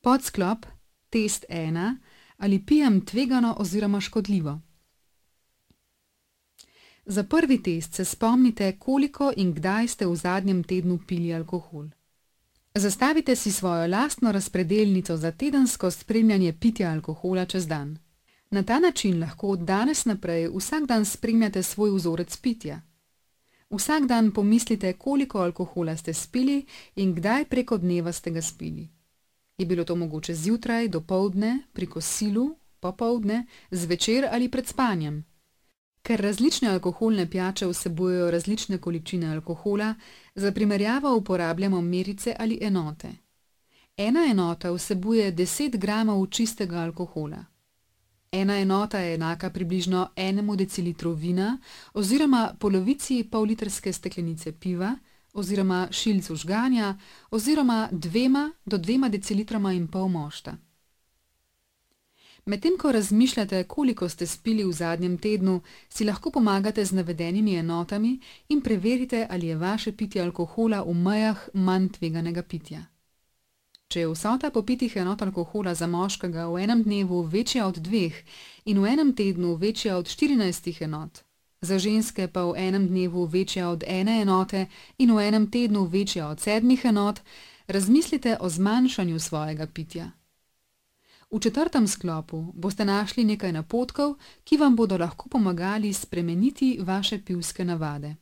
Podsklop, test 1, ali pijem tvegano oziroma škodljivo. Za prvi test se spomnite, koliko in kdaj ste v zadnjem tednu pili alkohol. Zastavite si svojo lastno razpredelnico za tedensko spremljanje pitja alkohola čez dan. Na ta način lahko od danes naprej vsak dan spremljate svoj vzorec pitja. Vsak dan pomislite, koliko alkohola ste spili in kdaj preko dneva ste ga spili. Je bilo to mogoče zjutraj, dopoldne, pri kosilu, popoldne, zvečer ali pred spanjem? Ker različne alkoholne pijače vsebujejo različne količine alkohola, za primerjavo uporabljamo merice ali enote. Ena enota vsebuje 10 gramov čistega alkohola. Ena enota je enaka približno 1 decilitru vina oziroma polovici pollitrske steklenice piva oziroma šilcu žganja oziroma 2 do 2,5 decilitroma mošta. Medtem ko razmišljate, koliko ste spili v zadnjem tednu, si lahko pomagate z navedenimi enotami in preverite, ali je vaše pitje alkohola v mejah manj tveganega pitja. Če je vsota popitih enot alkohola za moškega v enem dnevu večja od 2 in v enem tednu večja od 14 enot, za ženske pa v enem dnevu večja od 1 enote in v enem tednu večja od 7 enot, razmislite o zmanjšanju svojega pitja. V 4. sklopu boste našli nekaj napotkov, ki vam bodo lahko pomagali spremeniti vaše pivske navade.